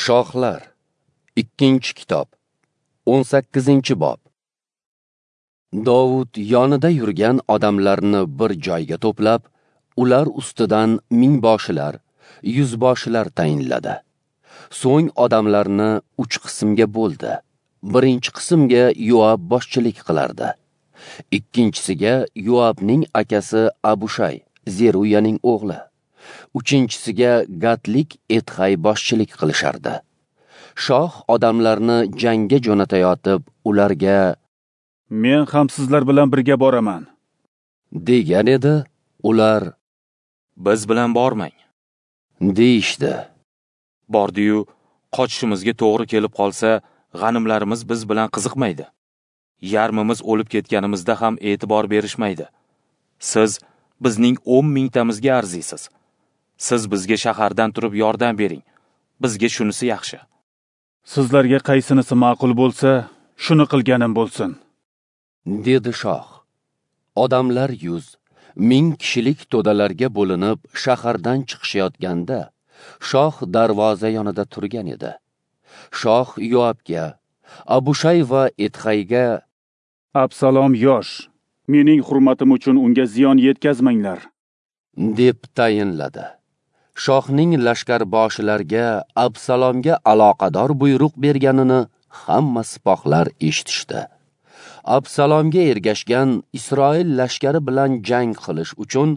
Shohlar, 2-kitob, 18-bob. Dovud yonida yurgan odamlarni bir joyga to'plab, ular ustidan mingboshilar, yuzboshilar tayinladi. So'ng odamlarni 3 qismga bo'ldi. Birinchi qismga Yoab boshchilik qilardi. Ikkinchisiga Yoabning akasi Abushay, Zeruyaning o'g'li. Uchinchisiga Gatlik Etxay boshchilik qilishardi. Shoh odamlarni jangga jo'natayotib, ularga "Men ham sizlar bilan birga boraman" degan edi. Ular "Biz bilan bormang" deyishdi. Bordi-yu, qochishimizga to'g'ri kelib qolsa, g'animlarimiz biz bilan qiziqmaydi. Yarmimiz o'lib ketganimizda ham e'tibor berishmaydi. Siz bizning 10 mingtamizga arziysiz. Siz bizga shahardan turib yordam bering. Bizga shunisi yaxshi. Sizlarga qaysinisi ma'qul bo'lsa, shuni qilganim bo'lsin, dedi shoh. Odamlar 100, 1000 kishilik to'dalarga bo'linib shahardan chiqishayotganda, shoh darvoza yonida turgan edi. Shoh Yoabga, Abushay va Etxayga "Absalom yosh, mening hurmatim uchun unga ziyon yetkazmanglar" deb tayinladi. Shohning lashkarboshilarga Absalomga aloqador buyruq berganini hamma sipohlar eshitishdi. Absalomga ergashgan Isroil lashkari bilan jang qilish uchun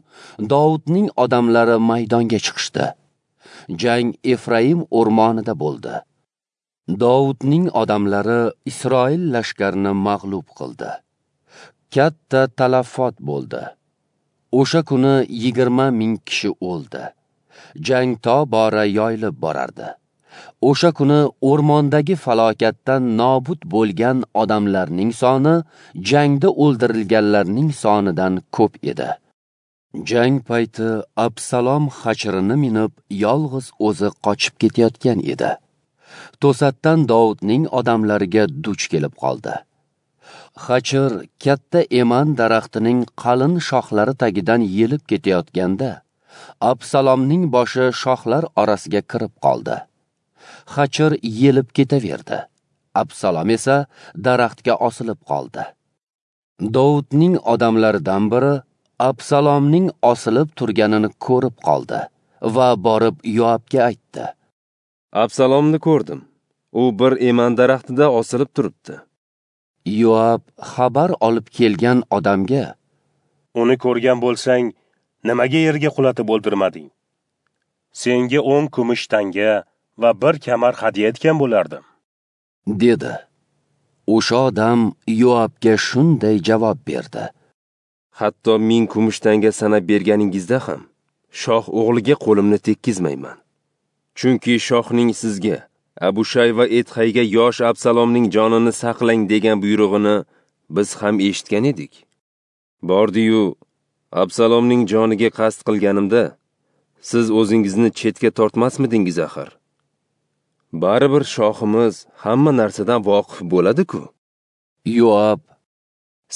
Dovudning odamlari maydonga chiqishdi. Jang Efraim o'rmonida bo'ldi. Dovudning odamlari Isroil lashkarini mag'lub qildi. Katta talafot bo'ldi. O'sha kuni 20 ming kishi o'ldi. Jang tobora yoyilib borardi. O'sha kuni o'rmondagi falokatdan nobud bo'lgan odamlarning soni jangda o'ldirilganlarning sonidan ko'p edi. Jang payti Absalom xachirini minib, yolg'iz o'zi qochib ketayotgan edi. To'satdan Dovudning odamlariga duch kelib qoldi. Xachir katta eman daraxtining qalin shoxlari tagidan yelib ketayotganda, Absalomning boshi shoxlar orasiga kirib qoldi. Xachir yelib ketaverdi. Absalom esa daraxtga osilib qoldi. Dovudning odamlaridan biri Absalomning osilib turganini ko'rib qoldi va borib Yoabga aytdi. Absalomni ko'rdim. U bir eman daraxtida osilib turibdi. Yoab xabar olib kelgan odamga: "Uni ko'rgan bo'lsang, nimaga yerga qulatib o'ldirmading? Senga 10 kumush tanga va bir kamar hadya etgan bo'lardim" dedi. O'sha odam Yoabga shunday javob berdi: "Hatto 1000 kumush tanga sanab berganingizda ham shoh o'g'liga qo'limni tekkizmayman. Chunki shohning sizga, Abushay va Etxayga yosh Absalomning jonini saqlang degan buyrug'ini biz ham eshitgan edik. Bordi-yu, Absalomning joniga qasd qilganimda siz o'zingizni chetga tortmasmidingiz axir? Baribir shohimiz hamma narsadan voqif bo'ladi-ku." Yoab: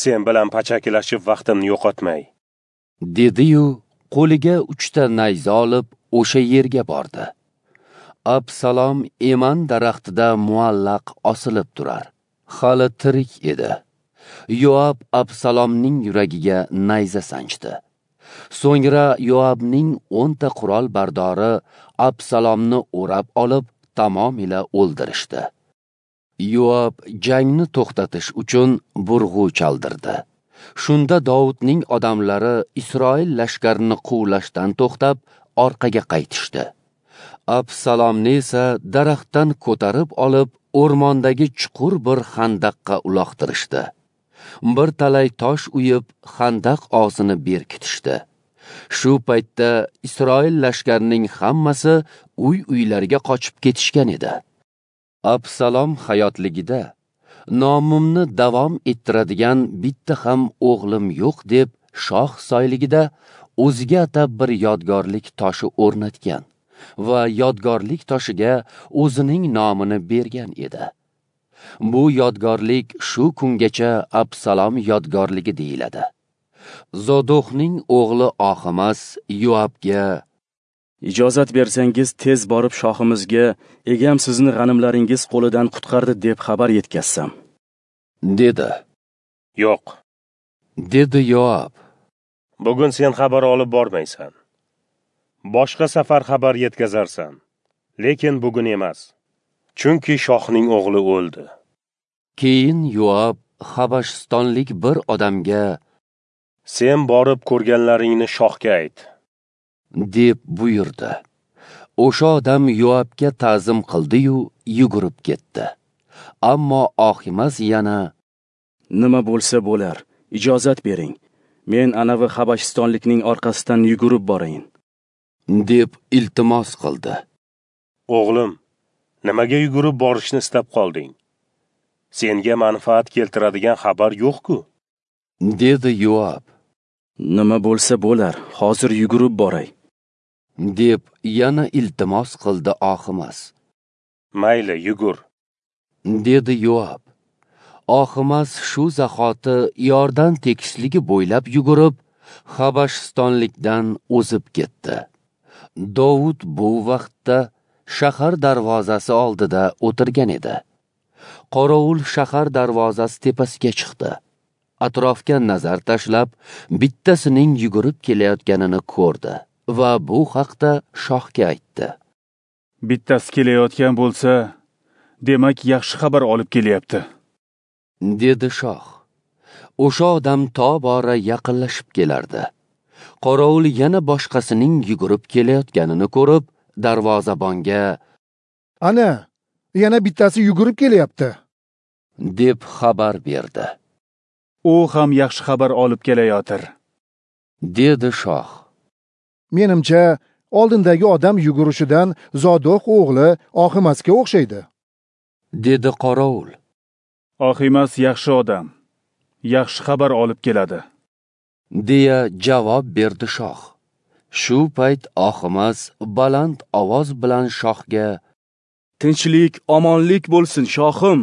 "Sen bilan pachakilashib vaqtimni yo'qotmay" dedi-yu, qo'liga 3 ta nayza olib o'sha yerga bordi. Absalom eman daraxtida muallaq osilib turar. Hali tirik edi. Yoab Absalomning yuragiga nayza sanchdi. So'ngra Yoabning 10 ta qurol bardori Absalomni o'rab olib, tamomila o'ldirishdi. Yoab jangni to'xtatish uchun burg'u chaldirdi. Shunda Dovudning odamlari Isroil lashkarini quvlashdan to'xtab, orqaga qaytishdi. Absalomni esa daraxtdan ko'tarib olib, o'rmondagi chuqur bir xandaqqa uloqtirishdi. Bir talay tosh uyib, xandaq og'zini berkitishdi. Shu paytda Isroil lashkarining hammasi uy-uylariga qochib ketishgan edi. Absalom hayotligida nomimni davom ettiradigan bitta ham o'g'lim yo'q deb shoh soyligida o'ziga atab bir yodgorlik toshi o'rnatgan va yodgorlik toshiga o'zining nomini bergan edi. Bu yodgorlik shu kungacha Absalom yodgorligi deyiladi. Zodoqning o'g'li Oximas Yoabga: Ijozat bersangiz, tez borib shohimizga egam sizni g'animlaringiz qo'lidan qutqardi deb xabar yetkazsam, dedi. Yo'q, dedi Yoab. Bugun sen xabar olib bormaysan. Boshqa safar xabar yetkazarsan, lekin bugun emas. Chunki shohning o'g'li o'ldi. Keyin Yoab Habashistonlik bir odamga: Sen borib ko'rganlaringni shohga ayt, deb buyurdi. O'sha odam Yoabga ta'zim qildi-yu, yugurib ketdi. Ammo Oximas yana: Nima bo'lsa bo'lar, ijozat bering. Men anavi Habashistonlikning orqasidan yugurib borayin, deb iltimos qildi. O'g'lim, nimaga yugurib borishni istab qolding? Senga manfaat keltiradigan xabar yo'q-ku, dedi Yoab. Nima bo'lsa bo'lar, hozir yugurib boray, deb yana iltimos qildi Oximas. Mayli, yugur, dedi Yoab. Oximas shu zahoti Yordan tekisligi bo'ylab yugurib, Habashistonlikdan o'zib ketdi. Dovud bu vaqtda shahar darvozasi oldida o'tirgan edi. Qorovul shahar darvozasi tepasiga chiqdi. Atrofga nazar tashlab, bittasining yugurib kelayotganini ko'rdi va bu haqda shohga aytdi. Bittasi kelayotgan bo'lsa, demak yaxshi xabar olib kelyapti, dedi shoh. O'sha odam tobora yaqinlashib kelardi. Qorovul yana boshqasining yugurib kelayotganini ko'rib, darvozabonga: Ana, yana bittasi yugurib kelyapti, deb xabar berdi. U ham yaxshi xabar olib kelayotir, dedi shoh. Menimcha, oldindagi odam yugurishidan Zodoq o'g'li Oximasga o'xshaydi, dedi qorovul. Oximas yaxshi odam, yaxshi xabar olib keladi, deya javob berdi shoh. Shu payt Oximas baland ovoz bilan shohga: Tinchlik, omonlik bo'lsin, shohim,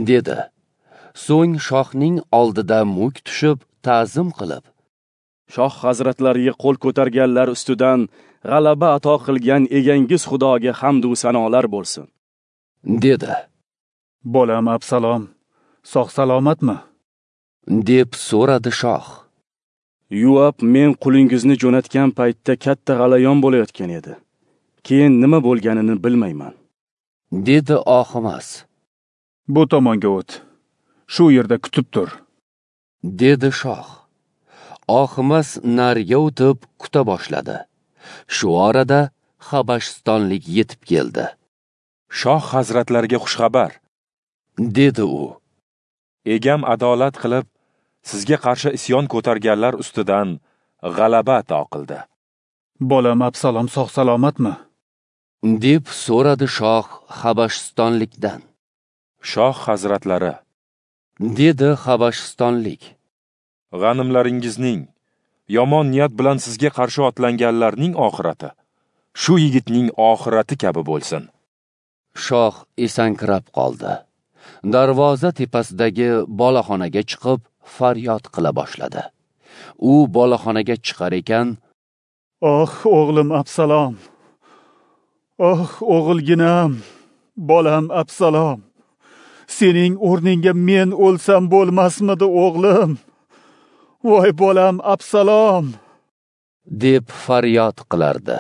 dedi. So'ng shohning oldida muk tushib ta'zim qilib, Shoh hazratlariga qo'l ko'targanlar ustidan g'alaba ato qilgan egangiz Xudoga hamd va sanolar bo'lsin, dedi. Bolam Absalom sog' salomatmi? deb so'radi shoh. Yoab men qulingizni jo'natgan paytda katta g'alayon bo'layotgan edi. Keyin nima bo'lganini bilmayman, dedi Oximas. Bu tomonga o't. Shu yerda kutib tur, dedi shoh. Oximas nariga o'tib kuta boshladi. Shu orada Habashistonlik yetib keldi. Shoh hazratlariga xushxabar, dedi u. Egam adolat qilib, sizga qarshi isyon ko'targanlar ustidan g'alaba ato qildi. Bolam Absalom sog' salomatmi? deb so'radi shoh Habashistonlikdan. Shoh hazratlari, dedi Habashistonlik, g'animlaringizning yomon niyat bilan sizga qarshi otlanganlarning oxirati shu yigitning oxirati kabi bo'lsin. Shoh esankirab qoldi. Darvoza tepasidagi boloxonaga chiqib faryod qila boshladi. U boloxonaga chiqar ekan, "Oh, o'g'lim Absalom! Oh, o'g'ilginam, bolam Absalom! Sening o'rningga men o'lsam bo'lmasmidi, o'g'lim? Voy bolam Absalom!" deb faryod qilardi.